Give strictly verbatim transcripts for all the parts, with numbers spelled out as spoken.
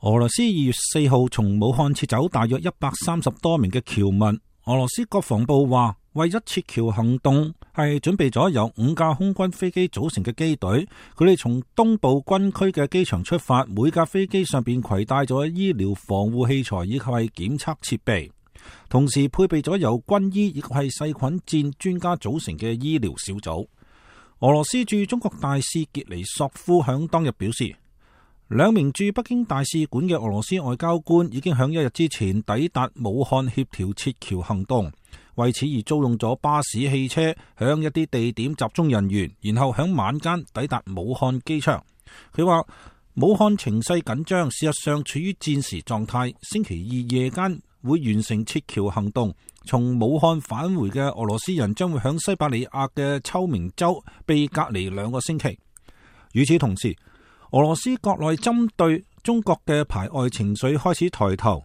俄羅斯二月四號從武漢撤走大約一百三十多名嘅僑民。俄羅斯國防部話，為咗撤僑行動係準備咗由五架空軍飛機組成嘅機隊，佢哋從東部軍區嘅機場出發，每架飛機上邊攜帶咗醫療防護器材以及係檢測設備，同時配備咗由軍醫以及係細菌戰專家組成嘅醫療小組。俄羅斯駐中國大使傑尼索夫響當日表示，兩名駐北京大使館嘅俄羅斯外交官已經響一日之前抵達武漢協調撤僑行動，為此而租用咗巴士、汽車響一啲地點集中人員，然後響晚間抵達武漢機場。佢話武漢情勢緊張，事實上處於戰時狀態，星期二夜間會完成撤僑行動。從武漢返回嘅俄羅斯人將會響西伯利亞嘅秋明州被隔離兩個星期。與此同時，俄羅斯國內針對中國嘅排外情緒開始抬頭。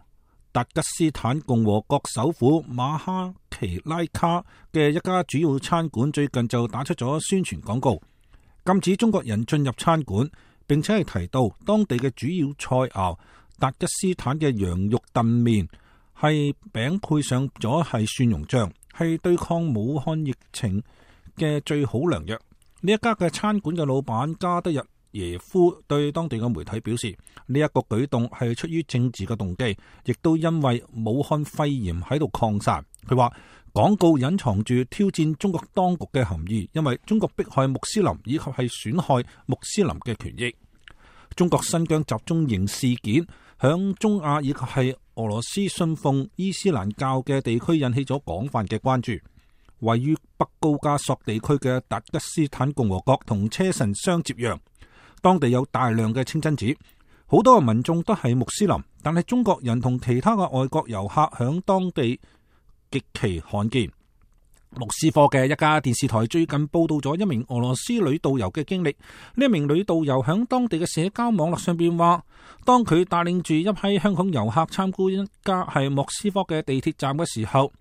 達吉斯坦共和國首府馬哈奇拉卡嘅一家主要餐館最近就打出咗宣傳廣告，禁止中國人進入餐館，並且係提到當地嘅主要菜餚達吉斯坦嘅羊肉燉麵係餅配上咗係蒜蓉醬，係對抗武漢疫情嘅最好良藥。呢一家嘅餐館嘅老闆加德日耶夫對當地嘅媒體表示，呢一個舉動係出於政治嘅動機，亦都因為武漢肺炎喺度擴散。佢話廣告隱藏住挑戰中國當局嘅含義，因為中國迫害穆斯林以及係損害穆斯林嘅權益。中國新疆集中營事件響中亞以及係俄羅斯信奉伊斯蘭教嘅地區引起咗廣泛嘅關注。位於北高加索地區嘅達吉斯坦共和國同車臣相接壤，當地有大量嘅清真寺，好多嘅民眾都係穆斯林，但係中國人同其他嘅外國遊客響當地極其罕見。莫斯科嘅一家電視台最近報道咗一名俄羅斯女導遊嘅經歷。呢一名女導遊響當地嘅社交網絡上邊話，當佢帶領住一批香港遊客參觀一家係莫斯科嘅地鐵站嘅時候，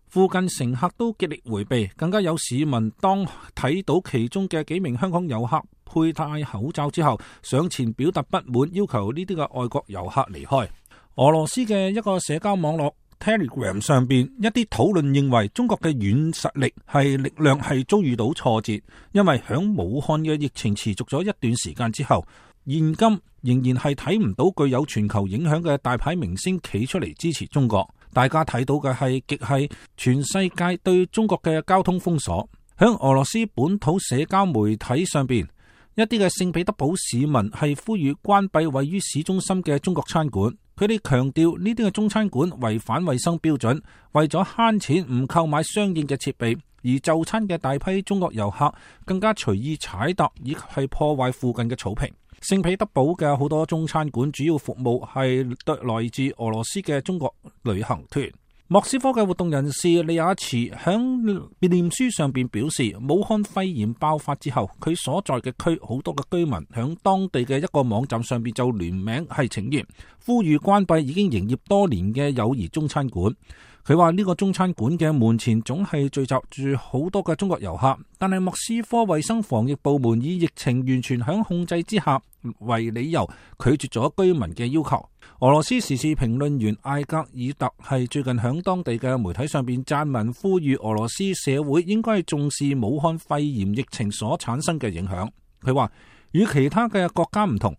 附近乘客都極力回避，更加有市民當睇到其中嘅幾名香港遊客佩戴口罩之後，上前表達不滿，要求呢啲嘅外國遊客離開。俄羅斯嘅一個社交網絡 Telegram 上邊一啲討論認為，中國嘅軟實力係力量係遭遇到挫折，因為響武漢嘅疫情持續咗一段時間之後，現今仍然係睇唔到具有全球影響嘅大牌明星企出嚟支持中國。大家睇到嘅係極係全世界對中國嘅交通封鎖。響俄羅斯本土社交媒體上邊，一啲嘅聖彼得堡市民係呼籲關閉位於市中心嘅中國餐館。佢哋強調呢啲嘅中餐館違反衛生標準，為咗慳錢唔購買相應嘅設備，而就餐嘅大批中國遊客更加隨意踩踏以及係破壞附近嘅草坪。聖彼得堡嘅好多中餐館主要服務係來自俄羅斯嘅中國旅行團。莫斯科嘅活動人士利亞茨響臉書上邊表示，武漢肺炎爆發之後，佢所在嘅區好多嘅居民響當地嘅一個網站上邊就聯名係請願，呼籲關閉已經營業多年嘅友誼中餐館。佢話呢個中餐館嘅門前總係聚集住好多嘅中國遊客，但係莫斯科衛生防疫部門以疫情完全響控制之下為理由，拒絕咗居民嘅要求。俄羅斯時事評論員艾格爾特係最近響當地嘅媒體上邊撰文，呼籲俄羅斯社會應該重視武漢肺炎疫情所產生嘅影響。佢話與其他嘅國家唔同，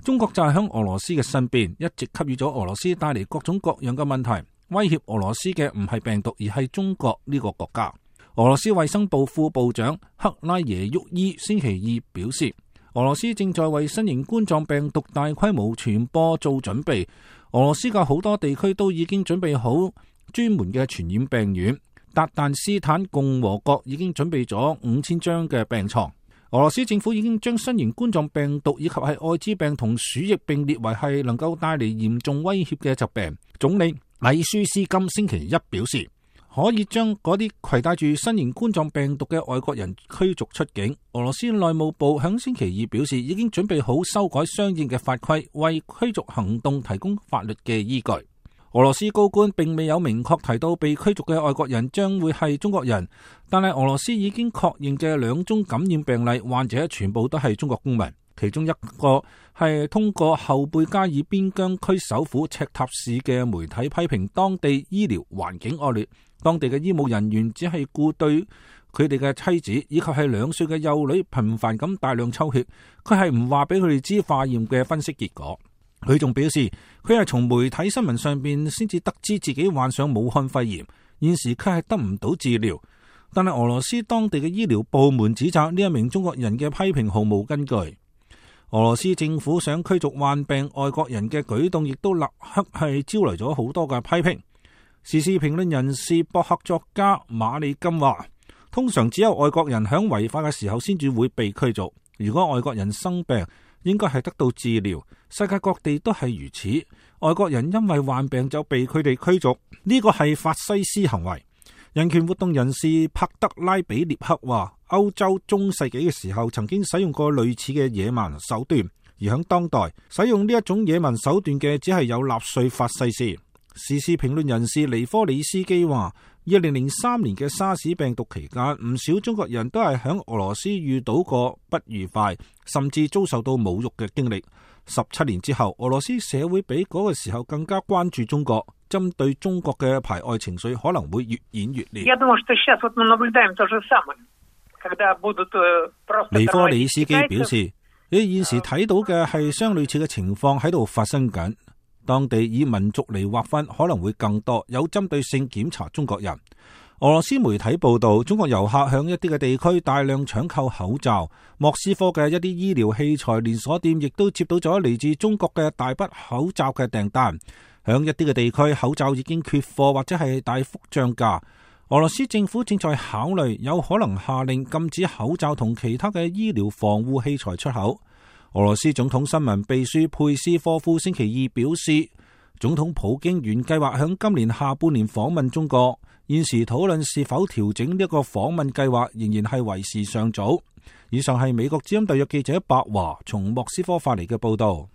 中國就係響俄羅斯嘅身邊，一直給予咗俄羅斯帶嚟各種各樣嘅問題。威脅俄羅斯嘅唔係病毒，而係中國呢個國家。俄羅斯衛生部副部長克拉耶沃伊星期二表示，俄羅斯正在為新型冠狀病毒大規模傳播做準備。俄羅斯嘅好多地區都已經準備好專門嘅傳染病院。達旦斯坦共和國已經準備咗五千張嘅病床。俄羅斯政府已經將新型冠狀病毒以及係艾滋病同鼠疫並列為係能夠帶嚟嚴重威脅嘅疾病。總理米舒斯金星期一表示，可以將嗰啲攜帶住新型冠狀病毒嘅外國人驅逐出境。俄羅斯內務部響星期二表示，已經準備好修改相應嘅法規，為驅逐行動提供法律嘅依據。俄羅斯高官並未有明確提到被驅逐嘅外國人將會係中國人，但係俄羅斯已經確認嘅兩宗感染病例患者全部都係中國公民。其中一個係通過後貝加爾邊疆區首府赤塔市嘅媒體批評當地醫療環境惡劣，當地嘅醫務人員只係顧對佢哋嘅妻子以及係兩歲嘅幼女頻繁咁大量抽血，佢係唔話俾佢哋知化驗嘅分析結果。佢仲表示佢係從媒體新聞上邊先至得知自己患上武漢肺炎，現時佢係得唔到治療。但係俄羅斯當地嘅醫療部門指責呢一名中國人嘅批評毫無根據。俄羅斯政府想驅逐患病外國人嘅舉動，亦都立刻係招來咗好多嘅批評。時事評論人士、博客作家馬里金話，通常只有外國人響違法嘅時候先至會被驅逐。如果外國人生病，應該係得到治療。世界各地都係如此。外國人因為患病就被佢哋驅逐，呢個係法西斯行為。人權活動人士帕德拉比列克話，歐洲中世紀嘅時候曾經使用過類似嘅野蠻手段，而響當代使用呢一種野蠻手段嘅只係有納粹法西斯。時事評論人士尼科里斯基話，二零零三年嘅沙士病毒期間，唔少中國人都係響俄羅斯遇到過不愉快，甚至遭受到侮辱嘅經歷。十七年之後，俄羅斯社會比嗰個時候更加關注中國，針對中國嘅排外情緒可能會越演越烈。尼科里斯基表示，你現時睇到嘅係相類似嘅情況喺度發生緊。當地以民族嚟劃分可能會更多，有針對性檢查中國人。俄羅斯媒體報道，中國遊客向一啲嘅地區大量搶購口罩。莫斯科嘅一啲醫療器材連鎖店亦都接到咗嚟自中國嘅大筆口罩嘅訂單。響一啲嘅地區，口罩已經缺貨或者係大幅漲價。俄羅斯政府正在考慮有可能下令禁止口罩同其他嘅醫療防護器材出口。俄羅斯總統新聞秘書佩斯科夫星期二表示，總統普京原計劃響今年下半年訪問中國，現時討論是否調整呢個訪問計劃仍然係為時尚早。以上係美國之音特約記者白華從莫斯科發嚟嘅報道。